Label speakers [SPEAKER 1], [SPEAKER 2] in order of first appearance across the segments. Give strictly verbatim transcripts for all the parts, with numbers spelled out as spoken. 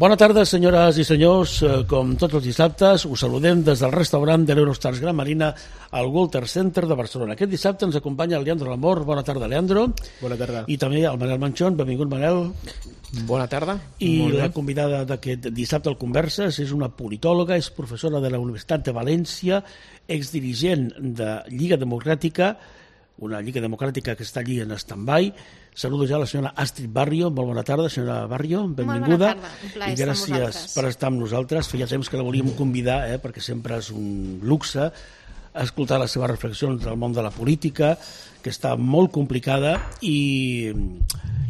[SPEAKER 1] Bona tarda, senyores i senyors. Com tots els dissabtes, us saludem des del restaurant de l'Eurostars Gran Marina al Walter Center de Barcelona. Aquest dissabte ens acompanya el Leandro Lamor. Bona tarda, Leandro.
[SPEAKER 2] Bona tarda.
[SPEAKER 1] I també el Manel Manchón. Benvingut, Manel.
[SPEAKER 2] Bona tarda.
[SPEAKER 1] I la convidada d'aquest dissabte al Converses és una politòloga, és professora de la Universitat de València, exdirigent de Lliga Democràtica, una Lliga Democràtica que està allí en stand-by. Saludo ja a la senyora Astrid Barrio. Molt bona tarda, senyora Barrio, benvinguda.
[SPEAKER 3] Molt bona tarda, un plaer
[SPEAKER 1] i gràcies per estar amb nosaltres. Feia temps que la volíem convidar, eh, perquè sempre és un luxe escoltar les seves reflexions del món de la política, que està molt complicada i,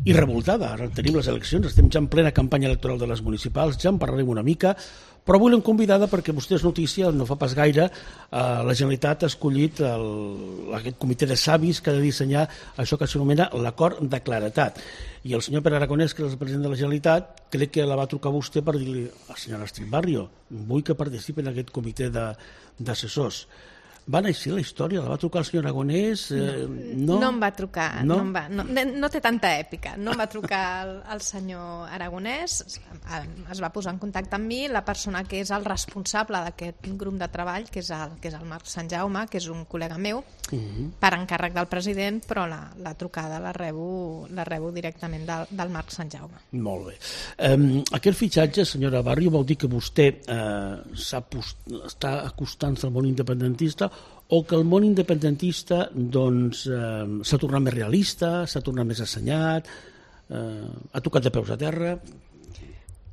[SPEAKER 1] i revoltada. Ara tenim les eleccions, estem ja en plena campanya electoral de les municipals, ja en parlarem una mica, però avui l'hem convidada perquè vostè és notícia, no fa pas gaire, eh, la Generalitat ha escollit el, aquest comitè de savis que ha de dissenyar això que s'anomena l'acord de claretat. I el senyor Pere Aragonès, que és el president de la Generalitat, crec que la va trucar a vostè per dir-li a la senyora Astrid Barrio, vull que participi en aquest comitè d'assessors. Va néixer la història? La va trucar el senyor Aragonès? Eh,
[SPEAKER 3] no, no em va trucar, no,
[SPEAKER 1] no,
[SPEAKER 3] em va, no, no té tanta èpica. No em va trucar el, el senyor Aragonès, es va posar en contacte amb mi la persona que és el responsable d'aquest grup de treball, que és el, que és el Marc Sant Jaume, que és un col·lega meu, uh -huh. per encàrrec del president, però la, la trucada la rebo, la rebo directament del, del Marc Sant Jaume.
[SPEAKER 1] Molt bé. Um, aquest fitxatge, senyora Barrio, vol dir que vostè uh, està acostant-se al món independentista o que el món independentista doncs, eh, s'ha tornat més realista, s'ha tornat més assenyat, eh, ha tocat de peus a terra.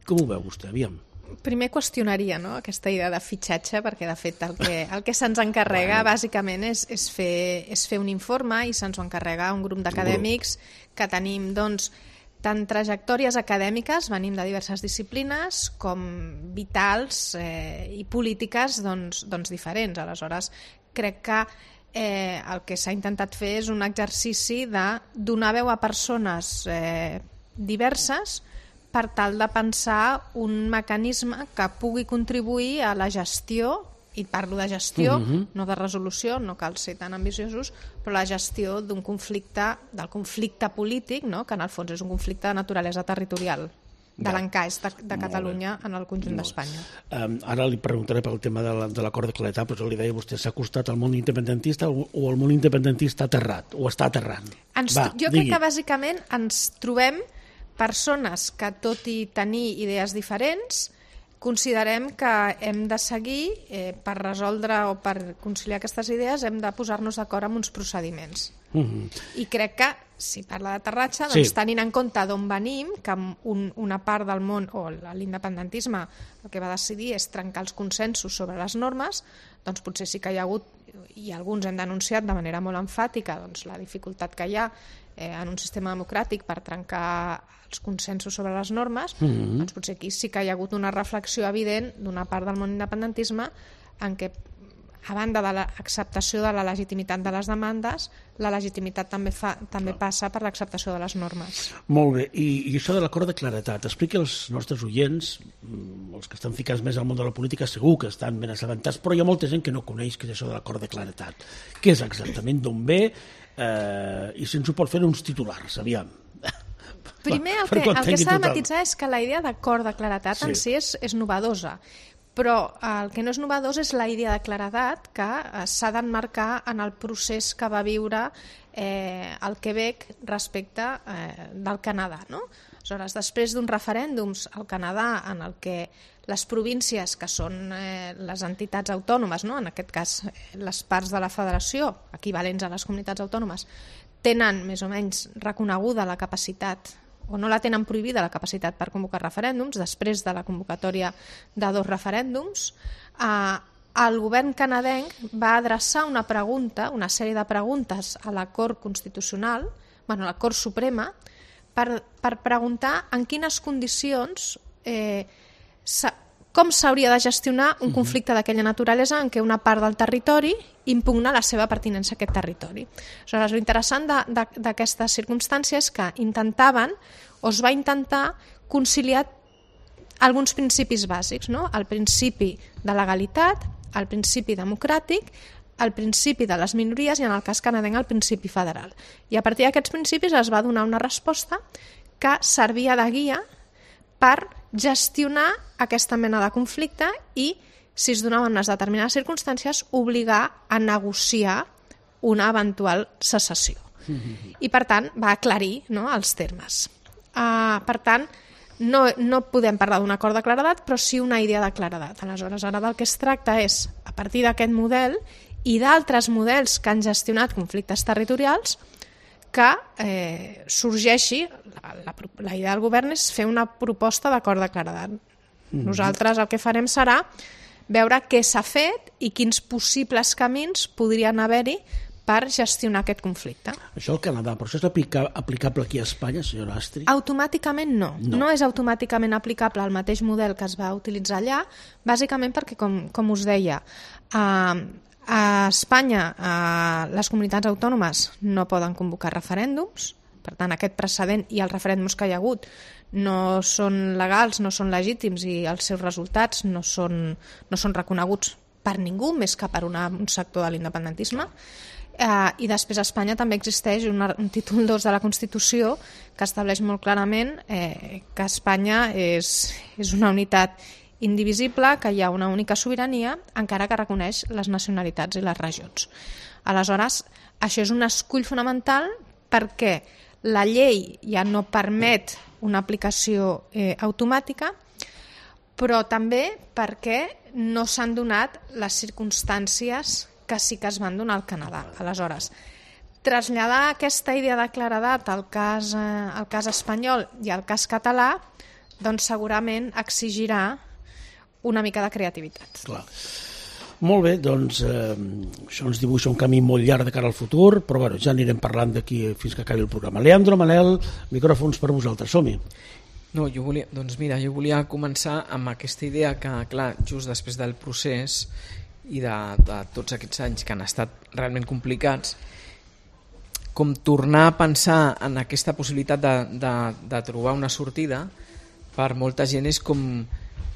[SPEAKER 1] Com ho veu vostè? Aviam.
[SPEAKER 3] Primer qüestionaria, no?, aquesta idea de fitxatge, perquè de fet el que, el que se'ns encarrega bueno. bàsicament és, és, fer, és fer un informe i se'ns ho encarrega un grup d'acadèmics que tenim doncs, tant trajectòries acadèmiques, venim de diverses disciplines, com vitals eh, i polítiques doncs, doncs diferents. Aleshores, crec que eh, el que s'ha intentat fer és un exercici de donar veu a persones eh, diverses per tal de pensar un mecanisme que pugui contribuir a la gestió, i parlo de gestió, uh-huh. no de resolució, no cal ser tan ambiciosos, però la gestió d'un conflicte, del conflicte polític, no?, que en el fons és un conflicte de naturalesa territorial, de l'encaix de, de Catalunya en el conjunt d'Espanya.
[SPEAKER 1] Um, ara li preguntaré pel tema de l'acord de claretat, però li deia vostè, s'ha acostat al món independentista o, o el món independentista aterrat, o està aterrant?
[SPEAKER 3] Ens, Va, jo digui. crec que bàsicament ens trobem persones que, tot i tenir idees diferents, considerem que hem de seguir, eh, per resoldre o per conciliar aquestes idees, hem de posar-nos d'acord amb uns procediments. Uh-huh. I crec que, si parla d'aterratge, doncs, sí. tenint en compte d'on venim, que un, una part del món, o l'independentisme, el que va decidir és trencar els consensos sobre les normes, doncs potser sí que hi ha hagut, i alguns hem denunciat de manera molt emfàtica, doncs, la dificultat que hi ha eh, en un sistema democràtic per trencar els consensos sobre les normes, mm-hmm. doncs potser aquí sí que hi ha hagut una reflexió evident d'una part del món independentisme en què, a banda de l'acceptació de la legitimitat de les demandes, la legitimitat també, fa, també passa per l'acceptació de les normes.
[SPEAKER 1] Molt bé, I, i això de l'acord de claretat, expliqui als nostres oients, els que estan ficats més al món de la política segur que estan ben assabentats, però hi ha molta gent que no coneix què és això de l'acord de claretat. Què és exactament, d'on ve, eh, i si ens ho pot fer uns titulars, aviam.
[SPEAKER 3] Primer, el que, el que s'ha de matitzar és que la idea d'acord de claretat sí. en si és, és novedosa, però el que no és novedós és la idea de claredat que s'ha d'emmarcar en el procés que va viure eh, el Quebec respecte eh, del Canadà, no? Aleshores, després d'uns referèndums al Canadà en el que les províncies, que són eh, les entitats autònomes, no? En aquest cas les parts de la federació, equivalents a les comunitats autònomes, tenen més o menys reconeguda la capacitat, o no la tenen prohibida la capacitat per convocar referèndums, després de la convocatòria de dos referèndums, eh, el govern canadenc va adreçar una pregunta, una sèrie de preguntes a la Cort Constitucional, bueno, a la Cort Suprema, per, per preguntar en quines condicions, eh, com s'hauria de gestionar un conflicte d'aquella naturalesa en què una part del territori impugna la seva pertinença a aquest territori. Aleshores, l'interessant d'aquesta circumstància és que intentaven, o es va intentar, conciliar alguns principis bàsics, no? El principi de legalitat, el principi democràtic, el principi de les minories i, en el cas canadenc, el principi federal. I a partir d'aquests principis es va donar una resposta que servia de guia per gestionar aquesta mena de conflicte i, si es donaven unes determinades circumstàncies, obligar a negociar una eventual secessió. Mm-hmm. I, per tant, va aclarir, no, els termes. Uh, per tant, no, no podem parlar d'un acord de claredat, però sí una idea de claredat. Aleshores, ara del que es tracta és, a partir d'aquest model i d'altres models que han gestionat conflictes territorials, que eh, sorgeixi, la, la, la idea del govern és fer una proposta d'acord de claredat. Mm-hmm. Nosaltres el que farem serà veure què s'ha fet i quins possibles camins podrien haver-hi per gestionar aquest conflicte.
[SPEAKER 1] Això al Canadà, però això és aplica, aplicable aquí a Espanya, senyora Astri?
[SPEAKER 3] Automàticament no. no. No és automàticament aplicable al mateix model que es va utilitzar allà, bàsicament perquè, com, com us deia, a, a Espanya a les comunitats autònomes no poden convocar referèndums, per tant aquest precedent i els referèndums que hi ha hagut no són legals, no són legítims i els seus resultats no són, no són reconeguts per ningú, més que per una, un sector de l'independentisme. Uh, I després a Espanya també existeix una, un títol dos de la Constitució que estableix molt clarament eh, que Espanya és, és una unitat indivisible, que hi ha una única sobirania, encara que reconeix les nacionalitats i les regions. Aleshores, això és un escull fonamental perquè la llei ja no permet una aplicació eh, automàtica, però també perquè no s'han donat les circumstàncies que sí que es van donar al Canadà. Aleshores, traslladar aquesta idea de claredat al cas, eh, al cas espanyol i al cas català, doncs segurament exigirà una mica de creativitat.
[SPEAKER 1] Clar. Molt bé, doncs eh, això ens dibuixa un camí molt llarg de cara al futur, però bueno, ja anirem parlant d'aquí fins que acabi el programa. Leandro, Manel, micròfons per vosaltres, som-hi.
[SPEAKER 2] No, jo volia, doncs mira, jo volia començar amb aquesta idea que, clar, just després del procés i de, de tots aquests anys que han estat realment complicats, com tornar a pensar en aquesta possibilitat de, de, de trobar una sortida per molta gent és com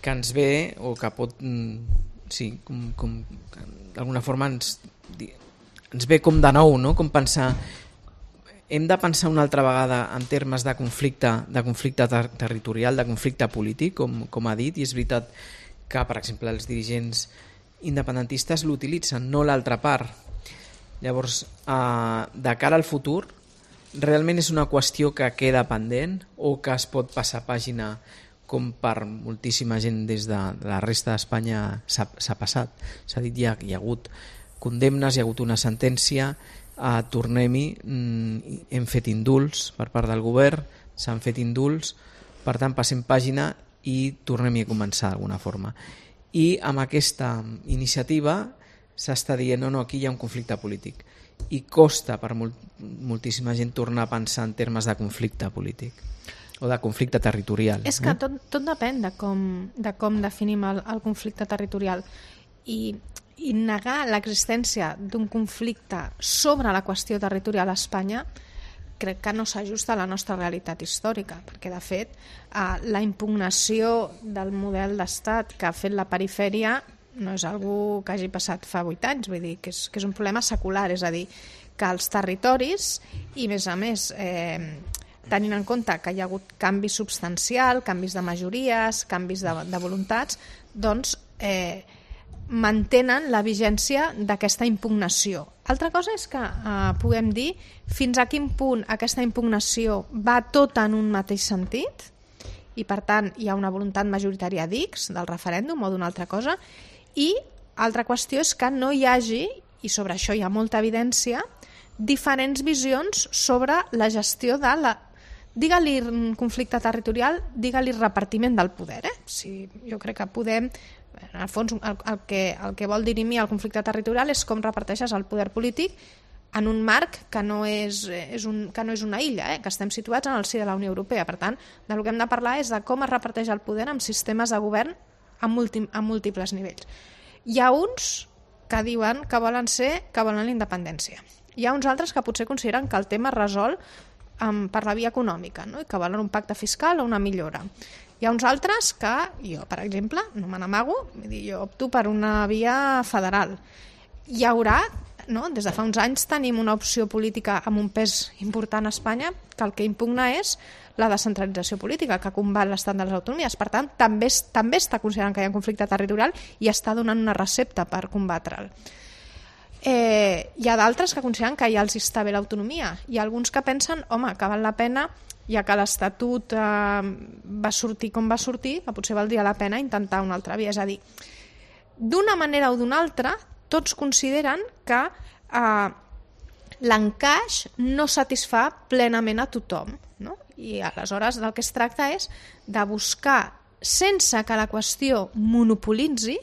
[SPEAKER 2] que ens ve o que pot, sí, com, com d'alguna forma ens, ens ve com de nou, no? Com pensar, hem de pensar una altra vegada en termes de conflicte, de conflicte ter territorial, de conflicte polític, com, com ha dit, i és veritat que, per exemple, els dirigents independentistes l'utilitzen, no l'altra part. Llavors, eh, de cara al futur, realment és una qüestió que queda pendent o que es pot passar pàgina com per moltíssima gent des de la resta d'Espanya s'ha passat. S'ha dit, ja hi ha hagut condemnes, hi ha hagut una sentència, eh, tornem-hi, mm, hem fet indults per part del govern, s'han fet indults, per tant passem pàgina i tornem-hi a començar d'alguna forma. I amb aquesta iniciativa s'està dient no, no, aquí hi ha un conflicte polític i costa per molt, moltíssima gent tornar a pensar en termes de conflicte polític o de conflicte territorial.
[SPEAKER 3] És que tot, tot depèn de com, de com definim el, el conflicte territorial i, i negar l'existència d'un conflicte sobre la qüestió territorial a Espanya crec que no s'ajusta a la nostra realitat històrica, perquè de fet eh, la impugnació del model d'estat que ha fet la perifèria no és algú que hagi passat fa vuit anys, vull dir que és, que és un problema secular, és a dir, que els territoris i més a més eh, tenint en compte que hi ha hagut canvi substancial, canvis de majories, canvis de, de voluntats, doncs eh, mantenen la vigència d'aquesta impugnació. Altra cosa és que eh, puguem dir fins a quin punt aquesta impugnació va tota en un mateix sentit i per tant hi ha una voluntat majoritària d'X del referèndum o d'una altra cosa, i altra qüestió és que no hi hagi, i sobre això hi ha molta evidència, diferents visions sobre la gestió de la, digue-li conflicte territorial, digue-li repartiment del poder. Eh? Si jo crec que podem, en el fons el, el, que, el que vol dirimir el conflicte territorial és com reparteixes el poder polític en un marc que no és, és, un, que no és una illa, eh? Que estem situats en el si de la Unió Europea. Per tant, del que hem de parlar és de com es reparteix el poder amb sistemes de govern a, múlti, a múltiples nivells. Hi ha uns que diuen que volen ser, que volen la independència. Hi ha uns altres que potser consideren que el tema es resol um, per la via econòmica, no? I que volen un pacte fiscal o una millora. Hi ha uns altres que, jo per exemple, no me n'amago, jo opto per una via federal. Hi haurà no? Des de fa uns anys tenim una opció política amb un pes important a Espanya que el que impugna és la descentralització política, que combat l'estat de les autonomies. Per tant, també, també està considerant que hi ha un conflicte territorial i està donant una recepta per combatre'l. Eh, hi ha d'altres que consideren que ja els està bé l'autonomia. Hi ha alguns que pensen, home, que val la pena, ja que l'Estatut eh, va sortir com va sortir, que potser valdria la pena intentar una altra via. És a dir, d'una manera o d'una altra, tots consideren que eh, l'encaix no satisfà plenament a tothom, no? I aleshores del que es tracta és de buscar, sense que la qüestió monopolitzi,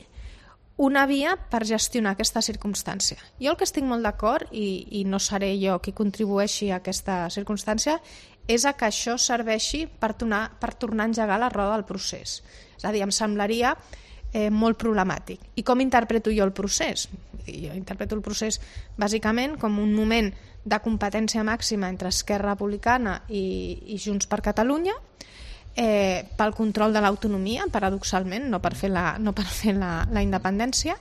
[SPEAKER 3] una via per gestionar aquesta circumstància. Jo el que estic molt d'acord, i, i no seré jo qui contribueixi a aquesta circumstància, és a que això serveixi per tornar, per tornar a engegar la roda del procés. És a dir, em semblaria eh, molt problemàtic. I com interpreto jo el procés? Jo interpreto el procés bàsicament com un moment de competència màxima entre Esquerra Republicana i, i Junts per Catalunya, eh, pel control de l'autonomia, paradoxalment, no per fer la, no per fer la, la independència,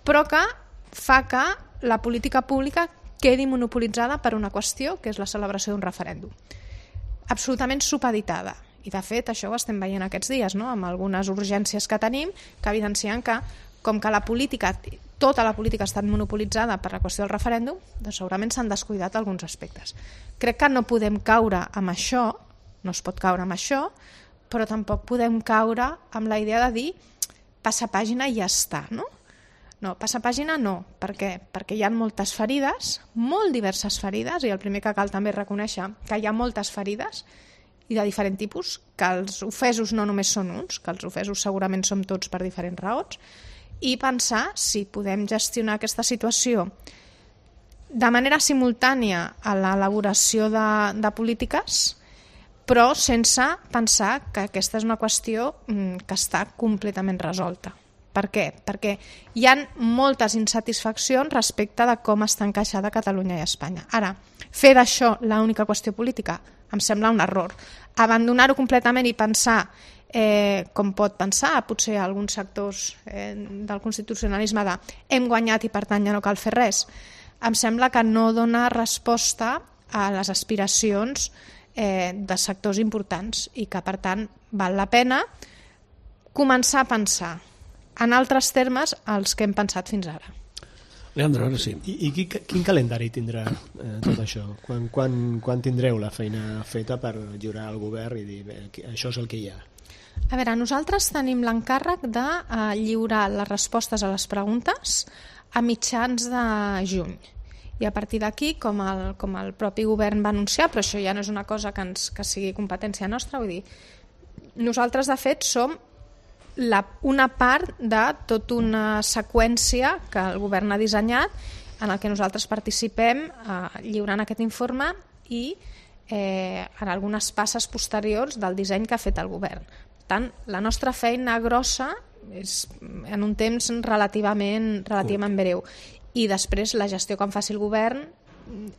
[SPEAKER 3] però que fa que la política pública quedi monopolitzada per una qüestió, que és la celebració d'un referèndum. Absolutament supeditada. I de fet això ho estem veient aquests dies, no? Amb algunes urgències que tenim que evidencien que com que la política, tota la política ha estat monopolitzada per la qüestió del referèndum, doncs segurament s'han descuidat alguns aspectes. Crec que no podem caure amb això, no es pot caure amb això, però tampoc podem caure amb la idea de dir passa pàgina i ja està, no? No, passa pàgina no. Per què? Perquè hi ha moltes ferides, molt diverses ferides, i el primer que cal també reconèixer que hi ha moltes ferides i de diferent tipus, que els ofesos no només són uns, que els ofesos segurament som tots per diferents raons, i pensar si podem gestionar aquesta situació de manera simultània a l'elaboració de, de polítiques, però sense pensar que aquesta és una qüestió que està completament resolta. Per què? Perquè hi ha moltes insatisfaccions respecte de com està encaixada Catalunya i Espanya. Ara, fer d'això l'única qüestió política em sembla un error. Abandonar-ho completament i pensar, eh, com pot pensar potser alguns sectors eh, del constitucionalisme de hem guanyat i per tant ja no cal fer res, em sembla que no dona resposta a les aspiracions eh, de sectors importants i que per tant val la pena començar a pensar en altres termes els que hem pensat fins ara.
[SPEAKER 1] Leandre, ara sí.
[SPEAKER 4] I, i quin, quin calendari tindrà eh, tot això? Quan, quan, quan tindreu la feina feta per lliurar al govern i dir bé, això és el que hi ha?
[SPEAKER 3] A veure, nosaltres tenim l'encàrrec de eh, lliurar les respostes a les preguntes a mitjans de juny. I a partir d'aquí, com, el, com el propi govern va anunciar, però això ja no és una cosa que, ens, que sigui competència nostra, vull dir, nosaltres de fet som La, una part de tota una seqüència que el govern ha dissenyat en el que nosaltres participem eh, lliurant aquest informe i eh, en algunes passes posteriors del disseny que ha fet el govern. Per tant, la nostra feina grossa és en un temps relativament, relativament breu. I després la gestió que en faci el govern,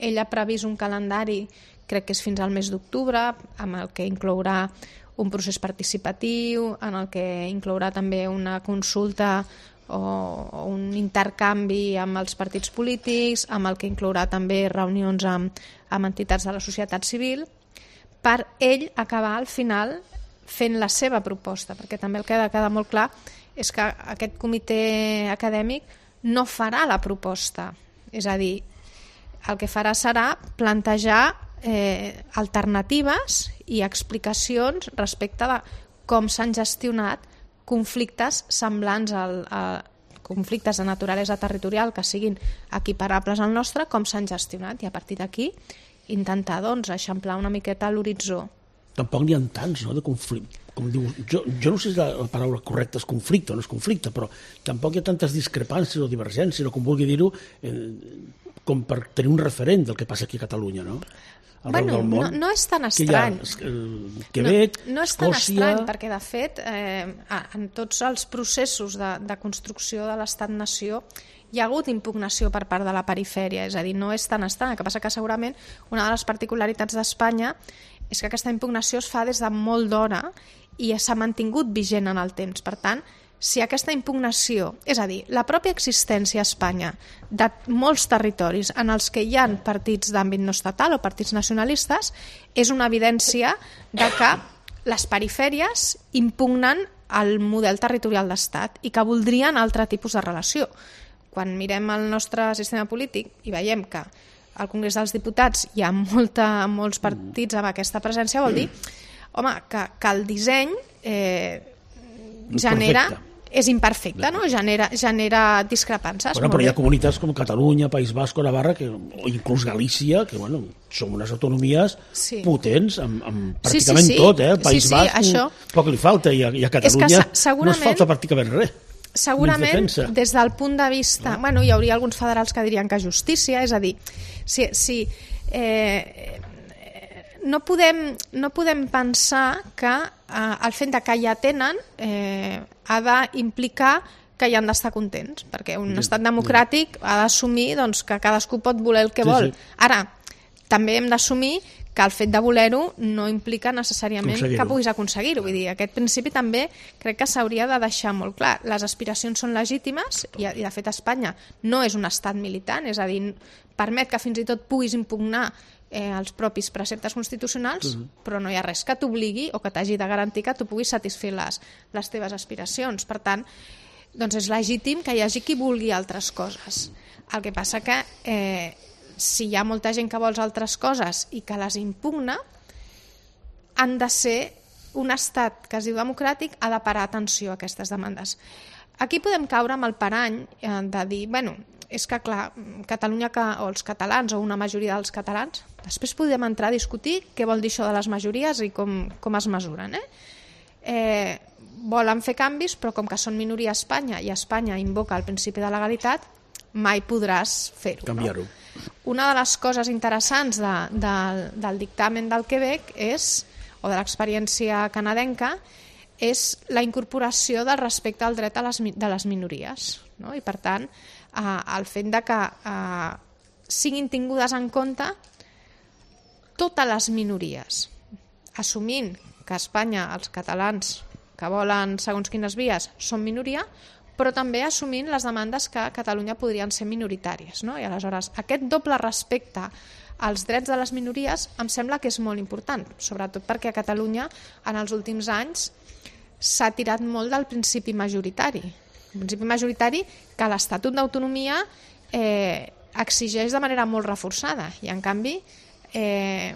[SPEAKER 3] ell ha previst un calendari, crec que és fins al mes d'octubre, amb el que inclourà un procés participatiu, en el que inclourà també una consulta o, o un intercanvi amb els partits polítics, amb el que inclourà també reunions amb, amb entitats de la societat civil, per ell acabar al final fent la seva proposta, perquè també el que ha de quedar molt clar és que aquest comitè acadèmic no farà la proposta, és a dir, el que farà serà plantejar Eh, alternatives i explicacions respecte de com s'han gestionat conflictes semblants al, a conflictes de naturalesa territorial que siguin equiparables al nostre, com s'han gestionat, i a partir d'aquí intentar doncs, eixamplar una miqueta l'horitzó.
[SPEAKER 1] Tampoc n'hi ha tants, no?, de conflicte. Com diu, jo, jo no sé si la, la paraula correcta és conflicte o no és conflicte, però tampoc hi ha tantes discrepàncies o divergències, o com vulgui dir-ho, eh, com per tenir un referent del que passa aquí a Catalunya, no?
[SPEAKER 3] Bueno, no, no és tan estrany.
[SPEAKER 1] Quebec,
[SPEAKER 3] no, no és tan estrany, perquè de fet eh, en tots els processos de, de construcció de l'estat-nació hi ha hagut impugnació per part de la perifèria, és a dir, no és tan estrany. El que passa que segurament una de les particularitats d'Espanya és que aquesta impugnació es fa des de molt d'hora i s'ha mantingut vigent en el temps. Per tant, si aquesta impugnació, és a dir, la pròpia existència a Espanya de molts territoris en els que hi ha partits d'àmbit no estatal o partits nacionalistes, és una evidència de que les perifèries impugnen el model territorial d'estat i que voldrien altre tipus de relació. Quan mirem el nostre sistema polític i veiem que al Congrés dels Diputats hi ha molta, molts partits amb aquesta presència, vol dir home, que, que el disseny eh, genera... Perfecte. És imperfecte, no? Genera, genera discrepances.
[SPEAKER 1] Bueno, però hi ha comunitats com Catalunya, País Basc o Navarra, que, o inclús Galícia, que bueno, són unes autonomies sí. potents amb, amb pràcticament sí, sí, sí. tot. Eh? El País sí, sí, Basc això... poc li falta i a, i a Catalunya no es falta pràcticament res.
[SPEAKER 3] Segurament, des del punt de vista... No? Bueno, hi hauria alguns federals que dirien que justícia, és a dir, si... si eh, no podem, no podem pensar que eh, el fet de que ja tenen eh, ha d'implicar que hi han d'estar contents, perquè un estat democràtic ha d'assumir doncs, que cadascú pot voler el que sí, vol. Sí. Ara, també hem d'assumir que el fet de voler-ho no implica necessàriament que puguis aconseguir-ho. Vull dir, aquest principi també crec que s'hauria de deixar molt clar. Les aspiracions són legítimes i, i de fet Espanya no és un estat militant, és a dir, permet que fins i tot puguis impugnar eh, els propis preceptes constitucionals, uh-huh. però no hi ha res que t'obligui o que t'hagi de garantir que tu puguis satisfer les, les teves aspiracions. Per tant, doncs és legítim que hi hagi qui vulgui altres coses. El que passa que eh, si hi ha molta gent que vols altres coses i que les impugna, han de ser un estat que es diu democràtic, ha de parar atenció a aquestes demandes. Aquí podem caure amb el parany eh, de dir, bueno, és que clar, Catalunya que, o els catalans o una majoria dels catalans, després podem entrar a discutir què vol dir això de les majories i com, com es mesuren. Eh? Eh, volen fer canvis, però com que són minoria a Espanya i Espanya invoca el principi de legalitat, mai podràs fer-ho.
[SPEAKER 1] Canviar-ho.
[SPEAKER 3] No? Una de les coses interessants de, de, del dictamen del Quebec és, o de l'experiència canadenca, és la incorporació del respecte al dret a les, de les minories. No? I per tant, eh, el fet de que eh, siguin tingudes en compte totes les minories, assumint que a Espanya els catalans que volen segons quines vies són minoria, però també assumint les demandes que a Catalunya podrien ser minoritàries. No? I aleshores aquest doble respecte als drets de les minories em sembla que és molt important, sobretot perquè a Catalunya en els últims anys s'ha tirat molt del principi majoritari. El principi majoritari que l'Estatut d'Autonomia eh, exigeix de manera molt reforçada i en canvi eh,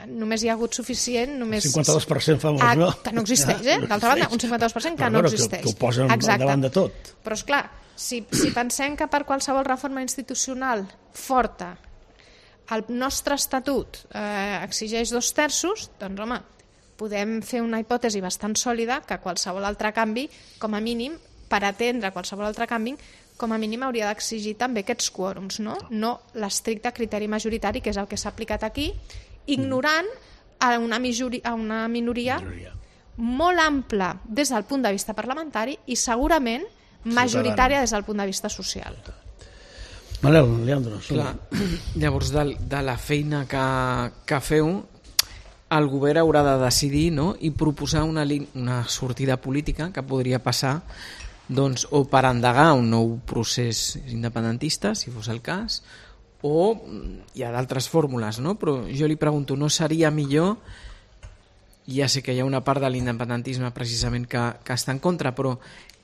[SPEAKER 3] només hi ha hagut suficient... Només...
[SPEAKER 1] cinquanta-dos per cent famós,
[SPEAKER 3] ah,
[SPEAKER 1] no?
[SPEAKER 3] Que no existeix, eh? D'altra banda, un cinquanta-dos per cent que no, no existeix.
[SPEAKER 1] Que, que ho posen al davant de tot.
[SPEAKER 3] Però, esclar, si, si pensem que per qualsevol reforma institucional forta el nostre estatut eh, exigeix dos terços, doncs, home, podem fer una hipòtesi bastant sòlida que qualsevol altre canvi, com a mínim, per atendre qualsevol altre canvi, com a mínim hauria d'exigir també aquests quòrums, no? No l'estricte criteri majoritari, que és el que s'ha aplicat aquí, ignorant a una, mijori, a una minoria, minoria molt ampla des del punt de vista parlamentari i segurament majoritària des del punt de vista social.
[SPEAKER 1] Manel, Leandro.
[SPEAKER 2] Clar, llavors, de, de la feina que, que feu, el govern haurà de decidir, no?, i proposar una, una sortida política que podria passar doncs, o per endegar un nou procés independentista, si fos el cas, o hi ha d'altres fórmules, no? Però jo li pregunto, no seria millor, ja sé que hi ha una part de l'independentisme precisament que, que està en contra, però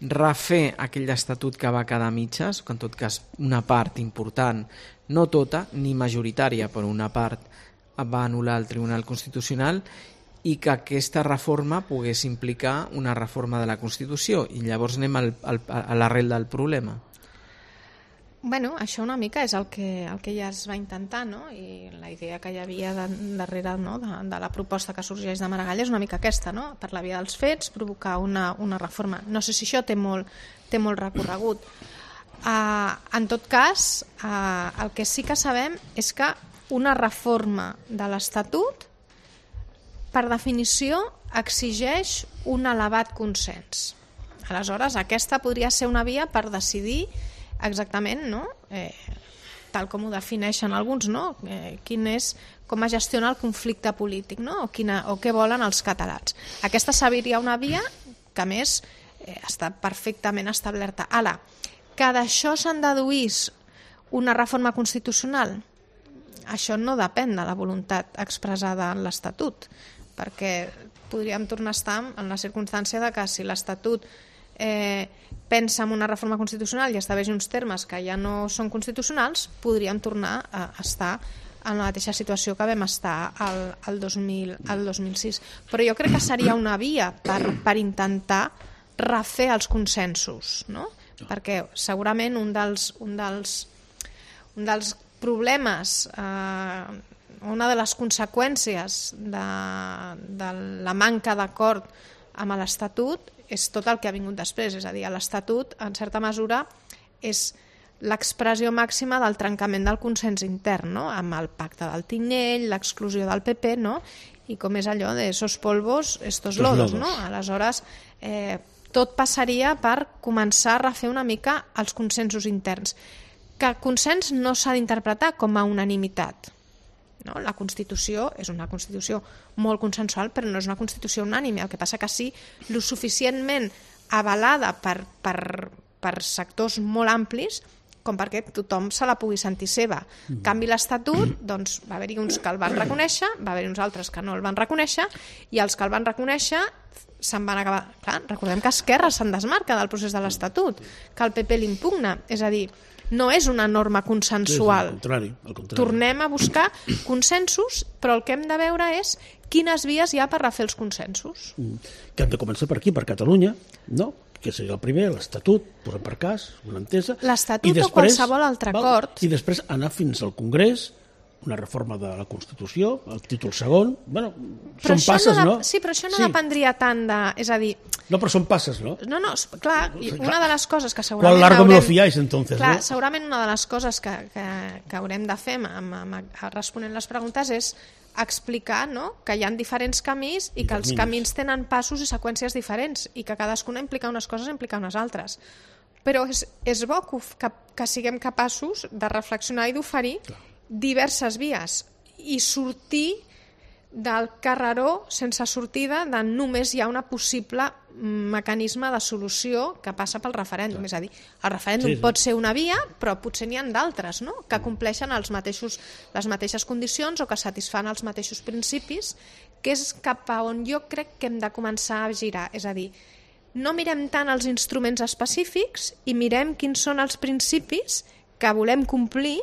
[SPEAKER 2] refer aquell estatut que va quedar a mitges, que en tot cas una part important, no tota, ni majoritària, però una part va anul·lar el Tribunal Constitucional, i que aquesta reforma pogués implicar una reforma de la Constitució, i llavors anem al, al, a l'arrel del problema.
[SPEAKER 3] Bueno, això una mica és el que, el que ja es va intentar, no? I la idea que hi havia de, darrere, no? de, de la proposta que sorgeix de Maragall és una mica aquesta, no? Per la via dels fets, provocar una, una reforma. No sé si això té molt, té molt recorregut. Uh, en tot cas, uh, el que sí que sabem és que una reforma de l'Estatut, per definició, exigeix un elevat consens. Aleshores, aquesta podria ser una via per decidir exactament, no? Eh, tal com ho defineixen alguns, no? Eh, quin és, com es gestiona el conflicte polític, no? O, quina, o què volen els catalans. Aquesta seria una via que, a més, eh, està perfectament establerta. Ara, que d'això se'n deduís una reforma constitucional, això no depèn de la voluntat expressada en l'Estatut, perquè podríem tornar a estar en la circumstància de que si l'Estatut eh, pensa en una reforma constitucional i estableix uns termes que ja no són constitucionals, podríem tornar a estar en la mateixa situació que vam estar al, al, dos mil, al dos mil sis. Però jo crec que seria una via per, per intentar refer els consensos, no? Perquè segurament un dels, un dels, un dels problemes, eh, una de les conseqüències de, de la manca d'acord amb l'Estatut és tot el que ha vingut després, és a dir, l'Estatut, en certa mesura, és l'expressió màxima del trencament del consens intern, no? Amb el pacte del Tinell, l'exclusió del P P, no? I com és allò de esos polvos, estos lodos, no? Aleshores, eh, tot passaria per començar a refer una mica els consensos interns. Que el consens no s'ha d'interpretar com a unanimitat. No? La Constitució és una Constitució molt consensual, però no és una Constitució unànime. El que passa que sí, lo suficientment avalada per, per, per sectors molt amplis com perquè tothom se la pugui sentir seva. En canvi, l'Estatut, doncs, va haver-hi uns que el van reconèixer, va haver-hi uns altres que no el van reconèixer, i els que el van reconèixer se'n van acabar... Clar, recordem que Esquerra se'n desmarca del procés de l'Estatut, que el P P l'impugna, és a dir, no és una norma consensual.
[SPEAKER 1] Sí, al contrari, al contrari.
[SPEAKER 3] Tornem a buscar consensos, però el que hem de veure és quines vies hi ha per refer els consensos.
[SPEAKER 1] Que hem de començar per aquí, per Catalunya, no? Que seria el primer, l'Estatut, posem per cas, una entesa.
[SPEAKER 3] L'Estatut o qualsevol altre acord.
[SPEAKER 1] I després anar fins al Congrés, una reforma de la Constitució, el títol segon. Bueno, són passes, no?
[SPEAKER 3] Sí, però això no dependria tant de... És a dir...
[SPEAKER 1] No, però són passes, no?
[SPEAKER 3] No, no, clar, una de les coses que segurament...
[SPEAKER 1] Quan largo me lo fiáis, entonces,
[SPEAKER 3] clar,
[SPEAKER 1] no?
[SPEAKER 3] Segurament una de les coses que, que, que haurem de fer amb, amb, responent les preguntes és explicar, no?, que hi ha diferents camins i que els camins tenen passos i seqüències diferents i que cadascuna implica unes coses i implica unes altres. Però és, és bo que, que, que siguem capaços de reflexionar i d'oferir diverses vies i sortir del carreró sense sortida de només hi ha una possible mecanisme de solució que passa pel referèndum. És a dir, el referèndum sí, sí. pot ser una via, però potser n'hi ha d'altres, no?, que compleixen els mateixos, les mateixes condicions o que satisfan els mateixos principis, que és cap a on jo crec que hem de començar a girar. És a dir, no mirem tant els instruments específics i mirem quins són els principis que volem complir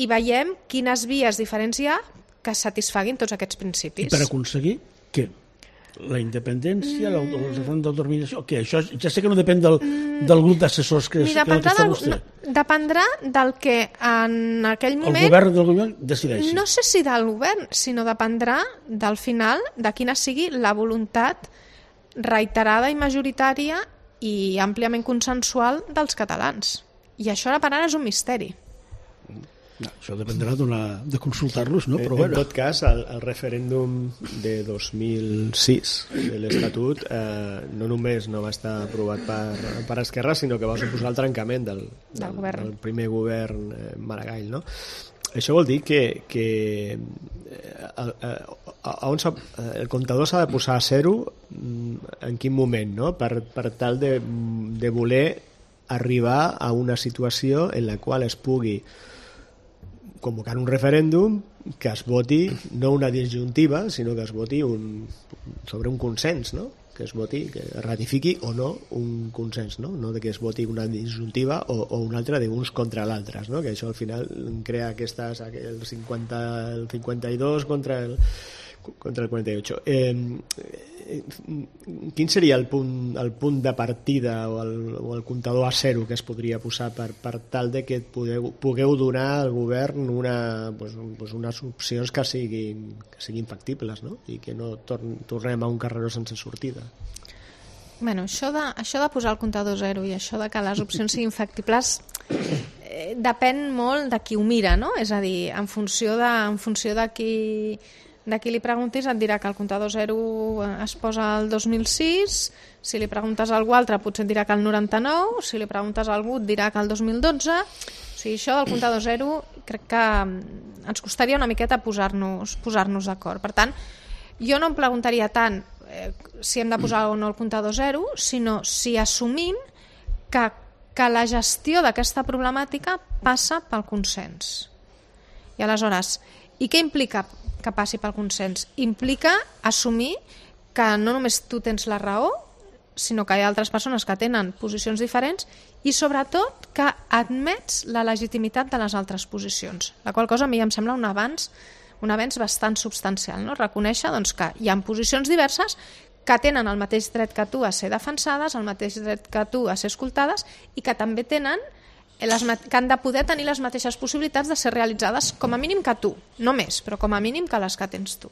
[SPEAKER 3] i veiem quines vies diferents hi ha que satisfaguin tots aquests principis.
[SPEAKER 1] I per aconseguir què? La independència, mm. l'autodeterminació? Què? Això ja sé que no depèn del, mm. del grup d'assessors que, que està vostè.
[SPEAKER 3] No, dependrà del que en aquell moment...
[SPEAKER 1] El govern del govern decideixi.
[SPEAKER 3] No sé si del govern, sinó dependrà del final de quina sigui la voluntat reiterada i majoritària i àmpliament consensual dels catalans. I això ara per ara és un misteri.
[SPEAKER 1] No, això dependrà de consultar-los, no? Però
[SPEAKER 4] en,
[SPEAKER 1] bueno.
[SPEAKER 4] En tot cas, el, el referèndum de dos mil sis de l'Estatut eh, no només no va estar aprovat per, per Esquerra, sinó que va suposar el trencament del, del, del, govern. del primer govern eh, Maragall, no? Això vol dir que, que eh, eh, on el comptador s'ha de posar a zero en quin moment, no? Per, per tal de, de voler arribar a una situació en la qual es pugui convocar un referèndum que es voti no una disjuntiva, sinó que es voti un, sobre un consens, no? Que es voti, que es ratifiqui o no un consens, no? No de que es voti una disjuntiva o, o una altra d'uns contra l'altres, no? Que això al final crea aquestes, el cinquanta, el cinquanta-dos contra el contra el quaranta-ocho. Eh, quin seria el punt, el punt de partida o el, o el comptador a zero que es podria posar per, per tal de que podeu, pugueu donar al govern una, pues, pues unes opcions que siguin, que siguin factibles, no? I que no torn, tornem a un carreró sense sortida?
[SPEAKER 3] Bueno, això de, això de posar el comptador zero i això de que les opcions siguin factibles eh, depèn molt de qui ho mira, no? És a dir, en funció de, en funció de qui... de qui li preguntis et dirà que el comptador zero es posa al dos mil sis, si li preguntes a algú altre potser et dirà que el noranta-nou, si li preguntes a algú et dirà que el dos mil dotze. O sigui, això del comptador zero crec que ens costaria una miqueta posar-nos posar-nos d'acord. Per tant, jo no em preguntaria tant eh, si hem de posar o no el comptador zero, sinó si assumim que, que la gestió d'aquesta problemàtica passa pel consens. I aleshores, i què implica que passi pel consens? Implica assumir que no només tu tens la raó, sinó que hi ha altres persones que tenen posicions diferents i sobretot que admets la legitimitat de les altres posicions, la qual cosa a mi em sembla un avanç, un avenç bastant substancial, no? Reconèixer doncs, que hi ha posicions diverses que tenen el mateix dret que tu a ser defensades, el mateix dret que tu a ser escoltades i que també tenen les, que han de poder tenir les mateixes possibilitats de ser realitzades com a mínim que tu, no més, però com a mínim que les que tens tu.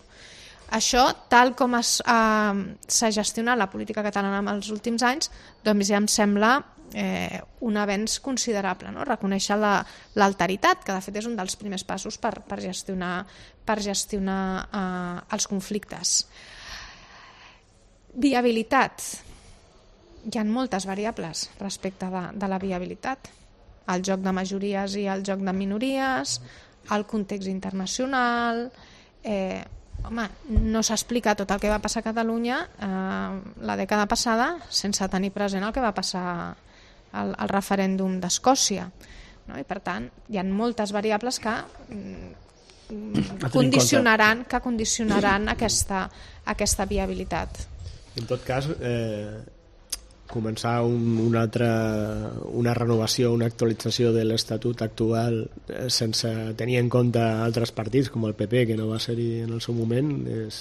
[SPEAKER 3] Això, tal com s'ha eh, gestionat la política catalana en els últims anys, doncs ja em sembla eh, un avenç considerable, no? Reconèixer l'alteritat, la, que de fet és un dels primers passos per, per gestionar, per gestionar eh, els conflictes. Viabilitat. Hi ha moltes variables respecte de, de la viabilitat. El joc de majories i el joc de minories, el context internacional... Eh, Home, no s'explica tot el que va passar a Catalunya eh, la dècada passada sense tenir present el que va passar al, al referèndum d'Escòcia, no? I per tant hi ha moltes variables que mm, condicionaran, que condicionaran aquesta, aquesta viabilitat.
[SPEAKER 4] En tot cas, eh, començar un, una altra una renovació, una actualització de l'estatut actual eh, sense tenir en compte altres partits com el P P, que no va ser-hi en el seu moment, és,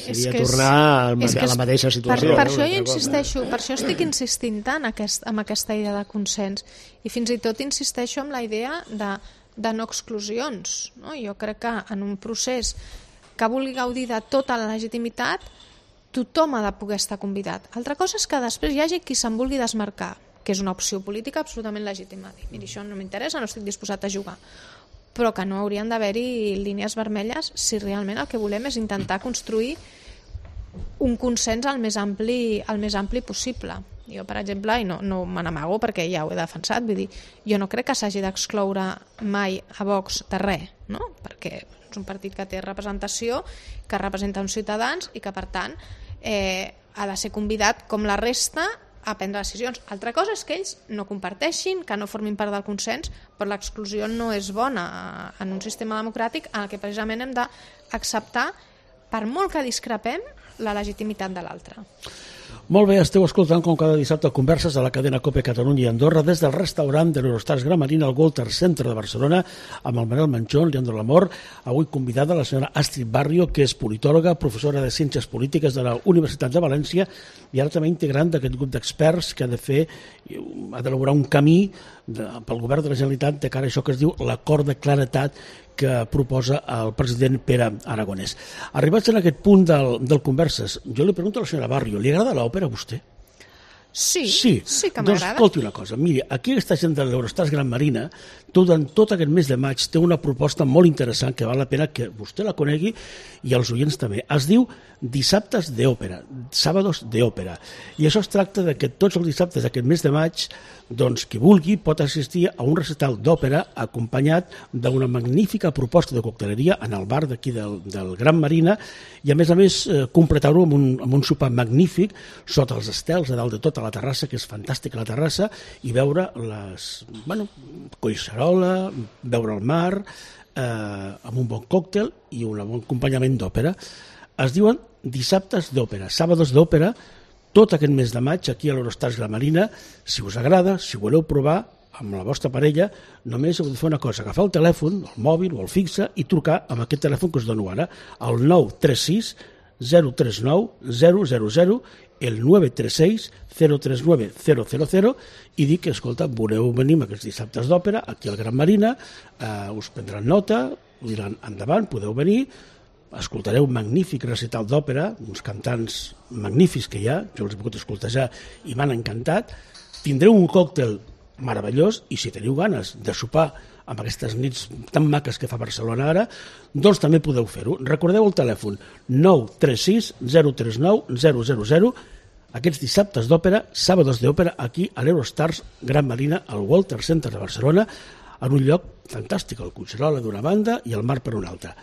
[SPEAKER 4] seria és tornar és, a la mateixa situació.
[SPEAKER 3] Per, per, això jo insisteixo, per això estic insistint tant aquest, amb aquesta idea de consens i fins i tot insisteixo en la idea de, de no exclusions, no? Jo crec que en un procés que vulgui gaudir de tota la legitimitat tothom ha de poder estar convidat. Altra cosa és que després hi hagi qui se'n vulgui desmarcar, que és una opció política absolutament legítima. Mira, això no m'interessa, no estic disposat a jugar. Però que no haurien d'haver-hi línies vermelles si realment el que volem és intentar construir un consens el més ampli, el més ampli possible. Jo, per exemple, i no, no me n'amago perquè ja ho he defensat, vull dir, jo no crec que s'hagi d'excloure mai a Vox de res, no? Perquè és un partit que té representació, que representa uns ciutadans i que, per tant, eh, ha de ser convidat, com la resta, a prendre decisions. Altra cosa és que ells no comparteixin, que no formin part del consens, però l'exclusió no és bona en un sistema democràtic en el que precisament hem d'acceptar, per molt que discrepem, la legitimitat de l'altre.
[SPEAKER 1] Molt bé, esteu escoltant com cada dissabte converses a la cadena COPE Catalunya i Andorra des del restaurant de l'Eurostars Gran Marina al Walter Centre de Barcelona amb el Manel Manchón, Leandro Lamor, avui convidada la senyora Astrid Barrio, que és politòloga, professora de Ciències Polítiques de la Universitat de València i ara també integrant d'aquest grup d'experts que ha de fer, ha d'elaborar un camí de, pel govern de la Generalitat de cara a això que es diu l'acord de claretat que proposa el president Pere Aragonès. Arribats en aquest punt del, del Converses, jo li pregunto a la senyora Barrio, li agrada l'òpera a vostè?
[SPEAKER 3] Sí,
[SPEAKER 1] sí,
[SPEAKER 3] sí que m'agrada.
[SPEAKER 1] Doncs escolti una cosa, miri, aquí aquesta gent de l'Eurostars Gran Marina, durant tot aquest mes de maig té una proposta molt interessant que val la pena que vostè la conegui i els oients també. Es diu Dissabtes d'Òpera, Sàbados d'Òpera. I això es tracta de que tots els dissabtes d'aquest mes de maig, doncs qui vulgui pot assistir a un recital d'òpera acompanyat d'una magnífica proposta de cocteleria en el bar d'aquí del, del Gran Marina i a més a més eh, completar-ho amb, un, amb un sopar magnífic sota els estels a dalt de tota la terrassa, que és fantàstica la terrassa, i veure les, bueno, collserola, veure el mar, eh, amb un bon còctel i un bon acompanyament d'òpera. Es diuen Dissabtes d'Òpera, Sàbados d'Òpera, tot aquest mes de maig aquí a l'Eurostars Gran Marina. Si us agrada, si voleu provar amb la vostra parella, només heu de fer una cosa, agafar el telèfon, el mòbil o el fixe i trucar amb aquest telèfon que us dono ara, el nou tres sis zero tres nou zero zero zero, el nou tres sis zero tres nou zero zero zero i dir que, escolta, voleu venir amb aquests dissabtes d'òpera aquí al Gran Marina, eh, us prendran nota, us diran endavant, podeu venir, escoltareu un magnífic recital d'òpera, uns cantants magnífics que hi ha, jo els he pogut escoltejar i m'han encantat, tindreu un còctel meravellós i si teniu ganes de sopar amb aquestes nits tan maques que fa Barcelona ara, doncs també podeu fer-ho. Recordeu el telèfon nou tres sis zero tres nou zero zero zero, aquests dissabtes d'òpera, Sàbados d'Òpera, aquí a l'Eurostars Gran Marina, al Walter Center de Barcelona, en un lloc fantàstic, el Collserola d'una banda i el mar per una altra.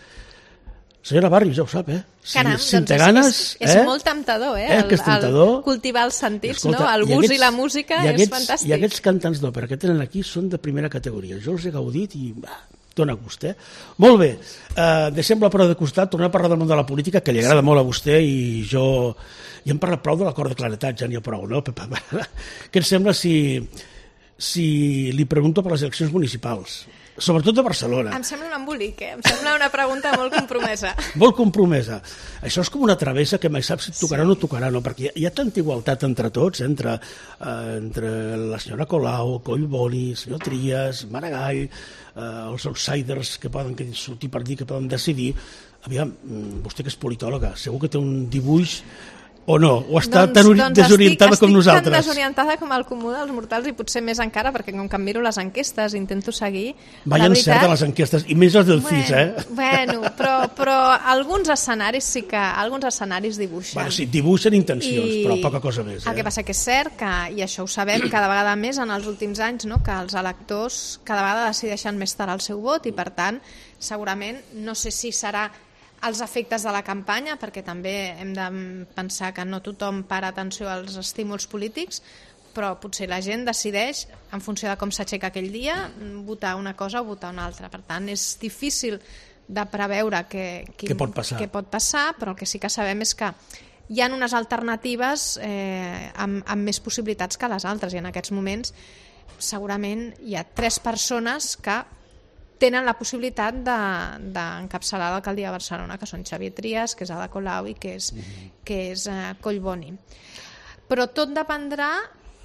[SPEAKER 1] Senyora Barrios, ja ho sap, eh?
[SPEAKER 3] Si, Caram,
[SPEAKER 1] si
[SPEAKER 3] doncs
[SPEAKER 1] té ganes,
[SPEAKER 3] és, és, és
[SPEAKER 1] eh?
[SPEAKER 3] molt temptador, eh?
[SPEAKER 1] eh? El, és temptador.
[SPEAKER 3] El cultivar els sentits,
[SPEAKER 1] escolta,
[SPEAKER 3] no? El gust i, aquests, i la música
[SPEAKER 1] i aquests,
[SPEAKER 3] és fantàstic.
[SPEAKER 1] I aquests cantants d'òpera que tenen aquí són de primera categoria. Jo els he gaudit i bah, dona gust, eh? Molt bé, uh, deixem la prova de costat, tornem a parlar del món de la política, que li agrada sí. molt a vostè, i jo... Ja hem parlat prou de l'acord de claretat, ja n'hi ha prou, no? Què et sembla si, si li pregunto per les eleccions municipals? Sobretot de Barcelona.
[SPEAKER 3] Em sembla un embolic, eh? Em sembla una pregunta molt compromesa.
[SPEAKER 1] Molt compromesa. Això és com una travessa que mai saps si tocarà sí. o no tocarà, no? Perquè hi ha tanta igualtat entre tots, entre, eh, entre la senyora Colau, Collboni, el senyor Trias, Maragall, eh, els outsiders que poden sortir per dir, que poden decidir. Aviam, vostè que és politòloga, segur que té un dibuix o no? O està
[SPEAKER 3] doncs,
[SPEAKER 1] tan
[SPEAKER 3] doncs
[SPEAKER 1] desorientada
[SPEAKER 3] estic,
[SPEAKER 1] com
[SPEAKER 3] estic
[SPEAKER 1] nosaltres?
[SPEAKER 3] Estic tan desorientada com el comú dels mortals i potser més encara, perquè com que em miro les enquestes intento seguir...
[SPEAKER 1] Vaja encert a les enquestes, i més les del
[SPEAKER 3] bueno,
[SPEAKER 1] C I S, eh?
[SPEAKER 3] Bueno, però, però alguns escenaris sí que... Alguns escenaris dibuixen.
[SPEAKER 1] Bueno, sí, dibuixen intencions, I però poca cosa més. Eh?
[SPEAKER 3] El que passa que és cert que, i això ho sabem cada vegada més en els últims anys, no? Que els electors cada vegada decideixen més tard el seu vot i, per tant, segurament, no sé si serà els efectes de la campanya, perquè també hem de pensar que no tothom para atenció als estímuls polítics, però potser la gent decideix, en funció de com s'aixeca aquell dia, votar una cosa o votar una altra. Per tant, és difícil de preveure què,
[SPEAKER 1] què, pot, passar.
[SPEAKER 3] què pot passar, però el que sí que sabem és que hi ha unes alternatives eh, amb, amb més possibilitats que les altres, i en aquests moments segurament hi ha tres persones que tenen la possibilitat d'encapçalar de, l'alcaldia de Barcelona, que són Xavier Trias, que és Ada Colau i que és, mm-hmm. que és uh, Collboni. Però tot dependrà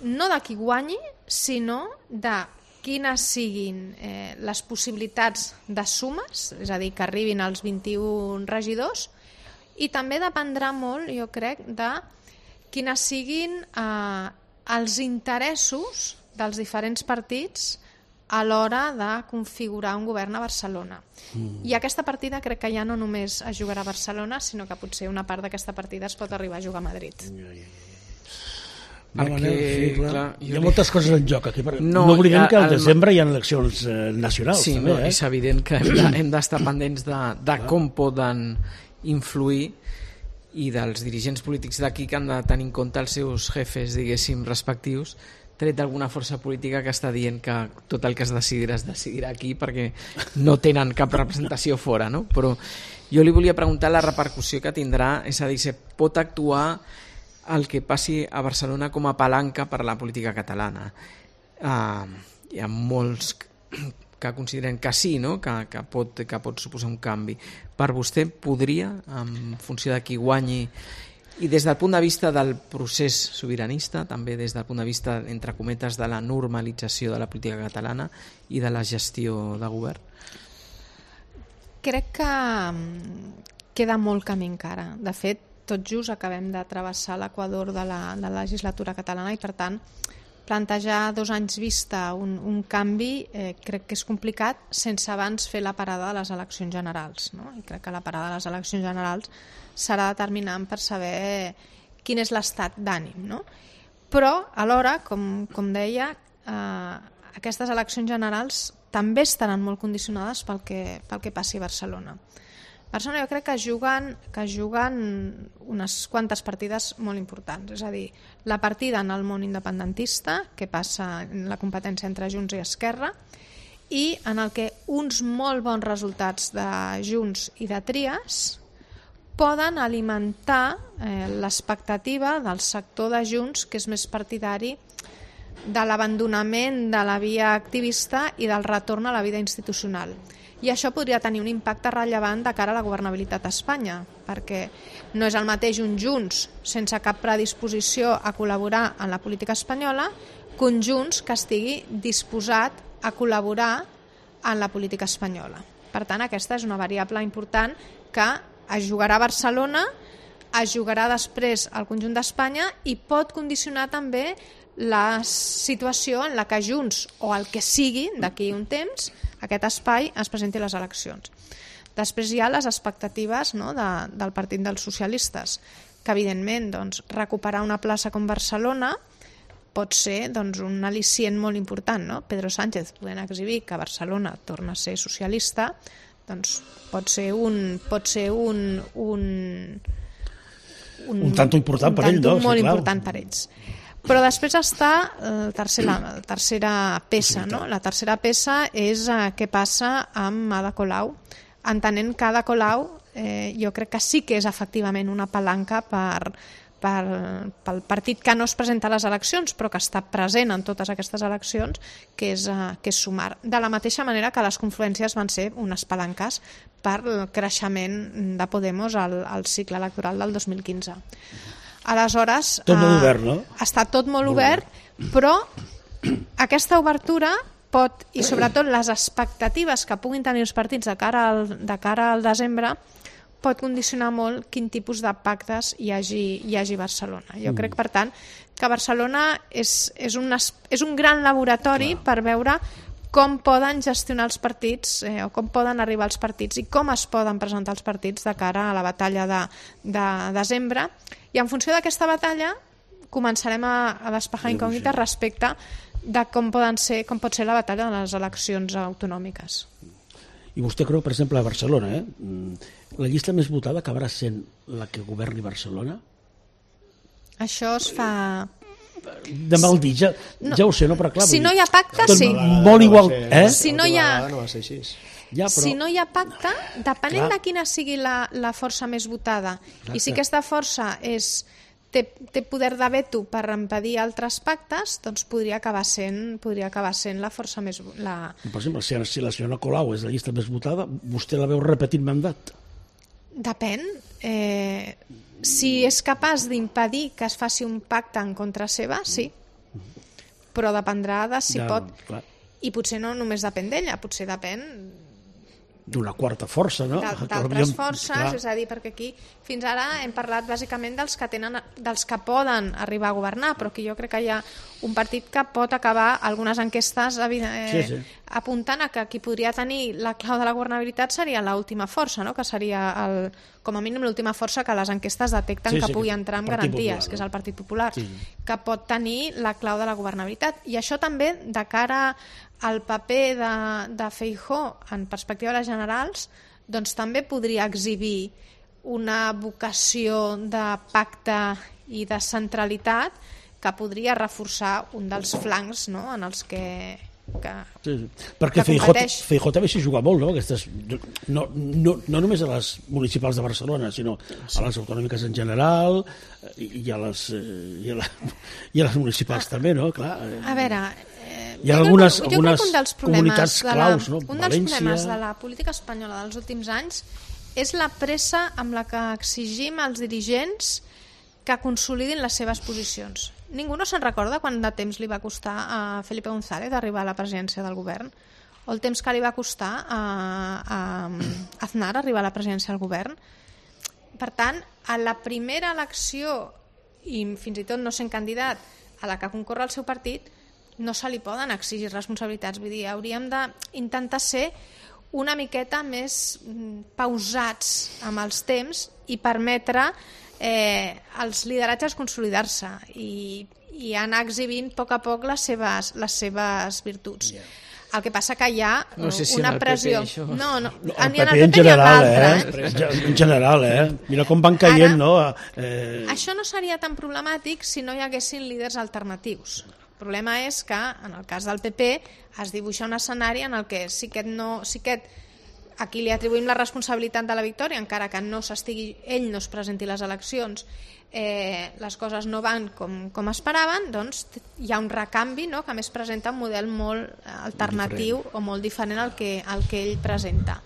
[SPEAKER 3] no de qui guanyi, sinó de quines siguin eh, les possibilitats de sumes, és a dir, que arribin als vint-i-un regidors, i també dependrà molt, jo crec, de quines siguin eh, els interessos dels diferents partits a l'hora de configurar un govern a Barcelona. Mm. I aquesta partida crec que ja no només es jugarà a Barcelona, sinó que potser una part d'aquesta partida es pot arribar a jugar a Madrid.
[SPEAKER 1] Ja, ja, ja.
[SPEAKER 2] Perquè,
[SPEAKER 1] Manel, sí, clar. Clar,
[SPEAKER 2] hi
[SPEAKER 1] ha moltes coses en joc aquí. No, no oblidem que al desembre hi ha eleccions eh, nacionals.
[SPEAKER 2] Sí,
[SPEAKER 1] també,
[SPEAKER 2] no,
[SPEAKER 1] eh?
[SPEAKER 2] és evident que hem d'estar de, pendents de, de com poden influir i dels dirigents polítics d'aquí que han de tenir en compte els seus jefes, diguéssim, respectius, tret d'alguna força política que està dient que tot el que es decidirà es decidirà aquí perquè no tenen cap representació fora, no? Però jo li volia preguntar la repercussió que tindrà, és a dir, si pot actuar el que passi a Barcelona com a palanca per a la política catalana. Uh, hi ha molts que consideren que sí, no? que, que, pot, que pot suposar un canvi. Per vostè podria, en funció de qui guanyi, i des del punt de vista del procés sobiranista, també des del punt de vista, entre cometes, de la normalització de la política catalana i de la gestió de govern?
[SPEAKER 3] Crec que queda molt camí encara. De fet, tot just acabem de travessar l'equador de la, de la legislatura catalana i, per tant, plantejar dos anys vista un, un canvi eh, crec que és complicat sense abans fer la parada de les eleccions generals, no? I crec que la parada de les eleccions generals serà determinant per saber quin és l'estat d'ànim, no? Però, alhora, com, com deia, eh, aquestes eleccions generals també estaran molt condicionades pel que, pel que passi a Barcelona. Barcelona jo crec que juguen, que juguen unes quantes partides molt importants, és a dir, la partida en el món independentista, que passa en la competència entre Junts i Esquerra, i en el que uns molt bons resultats de Junts i de Trias poden alimentar eh, l'expectativa del sector de Junts, que és més partidari de l'abandonament de la via activista i del retorn a la vida institucional. I això podria tenir un impacte rellevant de cara a la governabilitat a Espanya, perquè no és el mateix un Junts sense cap predisposició a col·laborar en la política espanyola que un Junts que estigui disposat a col·laborar en la política espanyola. Per tant, aquesta és una variable important que es jugarà a Barcelona, es jugarà després al conjunt d'Espanya i pot condicionar també la situació en la que Junts o el que sigui d'aquí un temps aquest espai es presenti a les eleccions. Després hi ha les expectatives, no, de, del Partit dels Socialistes, que evidentment doncs, recuperar una plaça com Barcelona pot ser doncs, un al·licient molt important. No? Pedro Sánchez podent exhibir que Barcelona torna a ser socialista, doncs pot ser un pot ser un un,
[SPEAKER 1] un, un tanto important
[SPEAKER 3] un
[SPEAKER 1] per ell, no?
[SPEAKER 3] molt
[SPEAKER 1] sí,
[SPEAKER 3] important per ells. Però després està la tercera, la tercera peça, no? La tercera peça és eh, què passa amb Ada Colau, entenent que Ada Colau eh, jo crec que sí que és efectivament una palanca per, per, pel partit que no es presenta a les eleccions però que està present en totes aquestes eleccions, que és, eh, que és Sumar. De la mateixa manera que les confluències van ser unes palanques per el creixement de Podemos al, al cicle electoral del dos mil quinze. Aleshores,
[SPEAKER 1] tot molt obert, no?
[SPEAKER 3] Està tot molt, molt obert, obert, però aquesta obertura pot, i sobretot les expectatives que puguin tenir els partits de cara al, de cara al desembre, pot condicionar molt quin tipus de pactes hi hagi, hi hagi a Barcelona. Jo mm. crec, per tant, que Barcelona és, és, un, és un gran laboratori Clar. per veure com poden gestionar els partits eh, o com poden arribar els partits i com es poden presentar els partits de cara a la batalla de, de desembre. I en funció d'aquesta batalla començarem a, a despejar incògnites respecte de com, poden ser, com pot ser la batalla de les eleccions autonòmiques.
[SPEAKER 1] I vostè creu, per exemple, a Barcelona, eh? la llista més votada acabarà sent la que governi Barcelona?
[SPEAKER 3] Això es fa...
[SPEAKER 1] De mal dir, ja, no. ja ho sé, no? Però clar,
[SPEAKER 3] si no hi ha pacte,
[SPEAKER 1] tot
[SPEAKER 3] sí.
[SPEAKER 1] Molt igual, eh?
[SPEAKER 3] Si no hi ha...
[SPEAKER 4] No va ser així.
[SPEAKER 1] Ja, però...
[SPEAKER 3] Si no hi ha pacte, depenent
[SPEAKER 1] Clar.
[SPEAKER 3] de quina sigui la, la força més votada,
[SPEAKER 1] Exacte.
[SPEAKER 3] i si aquesta força és, té, té poder de veto per impedir altres pactes, doncs podria acabar sent, podria acabar sent la força més... La...
[SPEAKER 1] Per exemple, si, si la senyora Colau és la llista més votada, vostè la veu repetit mandat?
[SPEAKER 3] Depèn. Eh, si és capaç d'impedir que es faci un pacte en contra seva, sí. Però dependrà de si
[SPEAKER 1] ja,
[SPEAKER 3] pot...
[SPEAKER 1] Clar.
[SPEAKER 3] I potser no només depèn d'ella, potser depèn...
[SPEAKER 1] d'una quarta força, no?
[SPEAKER 3] D'altres forces, clar. És a dir, perquè aquí fins ara hem parlat bàsicament dels que tenen, dels que poden arribar a governar, però aquí jo crec que hi ha un partit que pot acabar algunes enquestes eh,
[SPEAKER 1] sí, sí.
[SPEAKER 3] apuntant a que qui podria tenir la clau de la governabilitat seria l'última força, no? Que seria el, com a mínim l'última força que les enquestes detecten
[SPEAKER 1] sí,
[SPEAKER 3] que
[SPEAKER 1] sí,
[SPEAKER 3] pugui entrar amb garanties,
[SPEAKER 1] Popular,
[SPEAKER 3] que és el Partit Popular,
[SPEAKER 1] sí.
[SPEAKER 3] que pot tenir la clau de la governabilitat. I això també de cara al paper de, de Feijóo en perspectiva de les generals, doncs també podria exhibir una vocació de pacte i de centralitat que podria reforçar un dels flancs, no?, en els que, que,
[SPEAKER 1] sí, sí. Perquè
[SPEAKER 3] que competeix.
[SPEAKER 1] Feijóo també s'hi juga molt, no? Aquestes, no, no, no només a les municipals de Barcelona, sinó a les autonòmiques en general i, i, a, les, i, a, la, i a les municipals ah, també, no? Clar.
[SPEAKER 3] A veure...
[SPEAKER 1] Hi ha algunes,
[SPEAKER 3] crec,
[SPEAKER 1] algunes comunitats claus, no?
[SPEAKER 3] Un dels problemes de la política espanyola dels últims anys és la pressa amb la que exigim als dirigents que consolidin les seves posicions. Ningú no se'n recorda quant de temps li va costar a Felipe González arribar a la presidència del govern? O el temps que li va costar a, a, a Aznar arribar a la presidència del govern? Per tant, a la primera elecció, i fins i tot no sent candidat, a la que concorre el seu partit, no se li poden exigir responsabilitats. Vull dir, hauríem d'intentar ser una miqueta més pausats amb els temps i permetre eh, als lideratges consolidar-se i, i anar exhibint a poc a poc les seves, les seves virtuts. Yeah. El que passa que hi ha
[SPEAKER 2] no sé si
[SPEAKER 3] una pressió...
[SPEAKER 2] P P,
[SPEAKER 3] no, no,
[SPEAKER 1] no,
[SPEAKER 3] el
[SPEAKER 1] P P en general, eh?
[SPEAKER 3] eh?
[SPEAKER 1] En general, eh? Mira com van caient,
[SPEAKER 3] Ara,
[SPEAKER 1] no? Eh...
[SPEAKER 3] Això no seria tan problemàtic si no hi haguessin líders alternatius. El problema és que, en el cas del P P, es dibuixa un escenari en el que sí que no, sí que a qui li atribuïm la responsabilitat de la victòria, encara que no s'estigui, ell no es presenti les eleccions, eh, les coses no van com, com esperaven, doncs hi ha un recanvi, no?, que a més presenta un model molt alternatiu diferent. O molt diferent al que, al que ell presenta.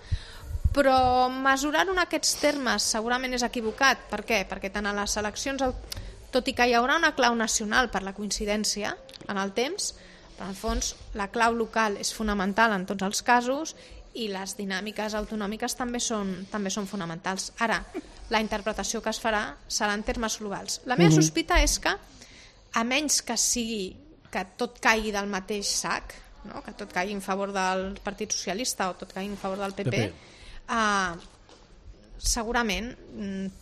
[SPEAKER 3] Però mesurar-ho en aquests termes segurament és equivocat. Per què? Perquè tant a les eleccions, tot i que hi haurà una clau nacional per la coincidència en el temps, però en el fons la clau local és fonamental en tots els casos i les dinàmiques autonòmiques també són, també són fonamentals. Ara, la interpretació que es farà serà en termes globals. La meva uh-huh. sospita és que, a menys que sigui que tot caigui del mateix sac, no? Que tot caigui en favor del Partit Socialista o tot caigui en favor del P P, P P. Uh, segurament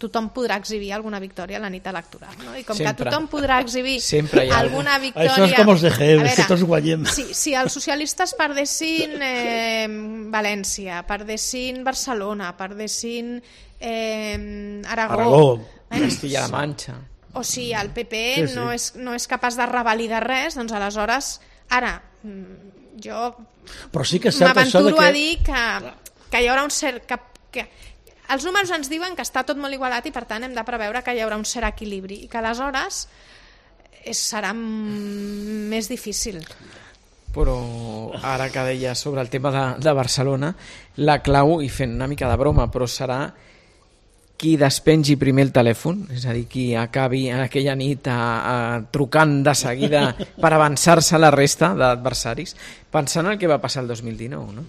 [SPEAKER 3] tothom podrà exhibir alguna victòria a la nit electoral, no? I com sempre. Que tothom podrà exhibir alguna victòria...
[SPEAKER 1] Això és com els de G E M, és que tots guanyem.
[SPEAKER 3] Si, si els socialistes perdessin eh, València, perdessin Barcelona, perdessin eh, Aragó...
[SPEAKER 1] Aragó.
[SPEAKER 3] Eh?
[SPEAKER 2] Castilla-La Manxa...
[SPEAKER 3] O si el P P sí, sí. No, és, no és capaç de revalidar res, doncs aleshores... Ara, jo
[SPEAKER 1] però sí que és cert això de que...
[SPEAKER 3] m'aventuro a dir que, que hi haurà un cert... Que, que, els números ens diuen que està tot molt igualat i per tant hem de preveure que hi haurà un cert equilibri i que aleshores és, serà més difícil.
[SPEAKER 2] Però ara que deia sobre el tema de, de Barcelona, la clau, i fent una mica de broma, però serà qui despengi primer el telèfon, és a dir, qui acabi aquella nit a, a, trucant de seguida per avançar-se a la resta d'adversaris, pensant el que va passar el dos mil dinou, no?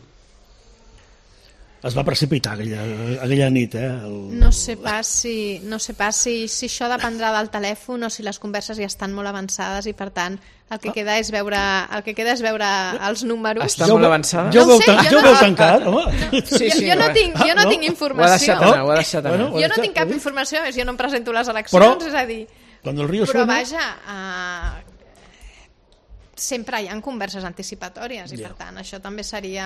[SPEAKER 1] Es va precipitar aquella, aquella nit, eh? El...
[SPEAKER 3] No sé pas, si, no sé pas si, si això dependrà del telèfon o si les converses ja estan molt avançades i per tant el que queda és veure, el que queda és veure els números.
[SPEAKER 2] Està molt avançada?
[SPEAKER 1] Jo ho
[SPEAKER 3] no
[SPEAKER 1] veu,
[SPEAKER 3] sé,
[SPEAKER 1] jo
[SPEAKER 3] no,
[SPEAKER 1] veu tancat, home.
[SPEAKER 3] No, sí, sí, jo, jo no tinc, jo no, no tinc informació.
[SPEAKER 2] Ho ha deixat anar, ho ha deixat anar.
[SPEAKER 3] Jo no tinc cap informació, jo no em presento a les eleccions, però, és a dir...
[SPEAKER 1] Quan el Río
[SPEAKER 3] però
[SPEAKER 1] suena...
[SPEAKER 3] vaja... Uh, sempre hi ha converses anticipatòries i yeah. per tant això també seria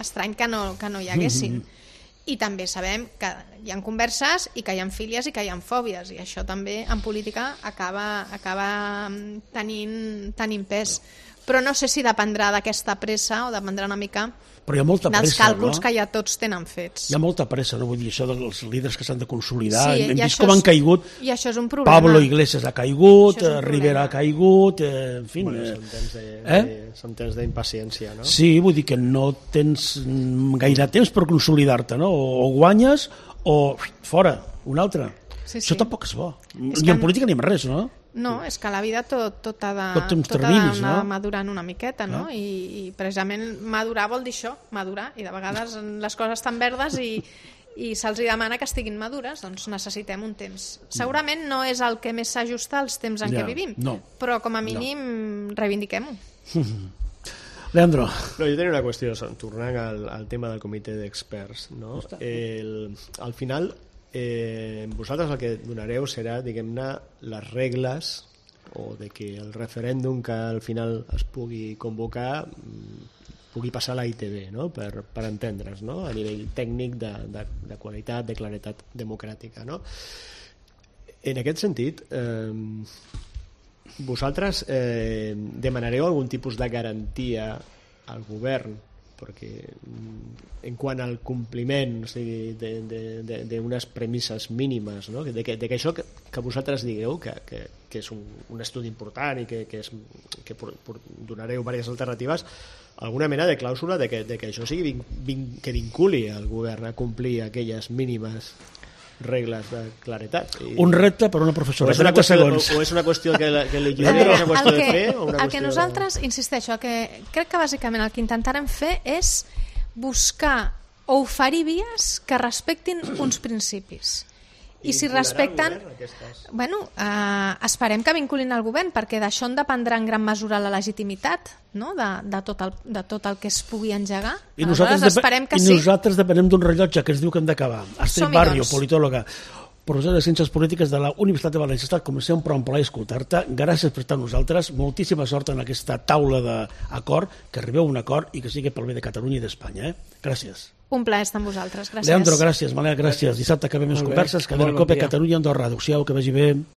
[SPEAKER 3] estrany que no, que no hi haguessin. Mm-hmm. I també sabem que hi ha converses i que hi ha fílies i que hi ha fòbies i això també en política acaba, acaba tenint, tenint pes. Però no sé si dependrà d'aquesta pressa o dependrà una mica
[SPEAKER 1] però hi ha molta
[SPEAKER 3] dels
[SPEAKER 1] pressa,
[SPEAKER 3] càlculs
[SPEAKER 1] no?
[SPEAKER 3] Que ja tots tenen fets.
[SPEAKER 1] Hi ha molta pressa, no vull dir això dels líders que s'han de consolidar.
[SPEAKER 3] Sí,
[SPEAKER 1] hem vist
[SPEAKER 3] com
[SPEAKER 1] és, han caigut.
[SPEAKER 3] I això és un problema.
[SPEAKER 1] Pablo Iglesias ha caigut, Rivera ha caigut, eh, en fi.
[SPEAKER 4] Bueno, són temps de, eh? de, són temps d'impaciència, no?
[SPEAKER 1] Sí, vull dir que no tens gaire temps per consolidar-te, no? O, o guanyes o fora, un altre. Sí, sí. Això tampoc és bo. És ni en política ni en res, no?
[SPEAKER 3] No, és que la vida tot, tot ha de,
[SPEAKER 1] tot
[SPEAKER 3] tot
[SPEAKER 1] terminis,
[SPEAKER 3] ha d'anar
[SPEAKER 1] no?
[SPEAKER 3] madurant una miqueta, no? I, i precisament madurar vol dir això, madurar, i de vegades les coses estan verdes i, i se'ls demana que estiguin madures, doncs necessitem un temps. Segurament no és el que més s'ajusta als temps en ja, què vivim,
[SPEAKER 1] no.
[SPEAKER 3] Però com a mínim no. Reivindiquem-ho.
[SPEAKER 1] Leandro.
[SPEAKER 4] No, jo tenia una qüestió, tornant al, al tema del comitè d'experts, no? El, al final... Eh, vosaltres el que donareu serà, diguem-ne, les regles o de que el referèndum que al final es pugui convocar pugui passar a la I T V, no? per, per entendre's, no? A nivell tècnic de, de, de qualitat, de claretat democràtica, no? En aquest sentit, eh, vosaltres eh, demanareu algun tipus de garantia al govern perquè en quant al compliment, o sigui, d'unes premisses mínimes, no? de, que, de que això que, que vosaltres digueu que, que, que és un, un estudi important i que, que, és, que por, por, donareu diverses alternatives, alguna mena de clàusula de que, de que això sigui vin, vin, que vinculi el govern a complir aquelles mínimes regles de claretat. I... Un
[SPEAKER 1] repte per una professora.
[SPEAKER 4] O és una qüestió, o, o és una qüestió que, que li lliure, o és una qüestió
[SPEAKER 3] que,
[SPEAKER 4] de fer? O una
[SPEAKER 3] el
[SPEAKER 4] qüestió
[SPEAKER 3] que nosaltres, de... insisteixo, el que crec que bàsicament el que intentarem fer és buscar o oferir vies que respectin uns principis. I, I si respecten... Bueno, eh, esperem que vinculin el govern, perquè d'això en dependrà en gran mesura la legitimitat, no? de, de, tot el, de tot el que es pugui engegar.
[SPEAKER 1] I nosaltres, esperem que i sí. nosaltres depenem d'un rellotge que ens diu que hem d'acabar. Astrid Barrio, doncs. Politòloga, professora de Ciències Polítiques de la Universitat de València. Ha estat, com sempre, un plaer escoltar-te. Gràcies per estar amb nosaltres. Moltíssima sort en aquesta taula d'acord, que arribeu a un acord i que sigui pel bé de Catalunya i d'Espanya. Eh? Gràcies.
[SPEAKER 3] Un plaer estar amb vosaltres. Gràcies.
[SPEAKER 1] Leandro, gràcies. Malea, gràcies. Dissabte acabem les converses. Cadena Cope, Catalunya, Andorra. Adéu-siau, que vagi bé.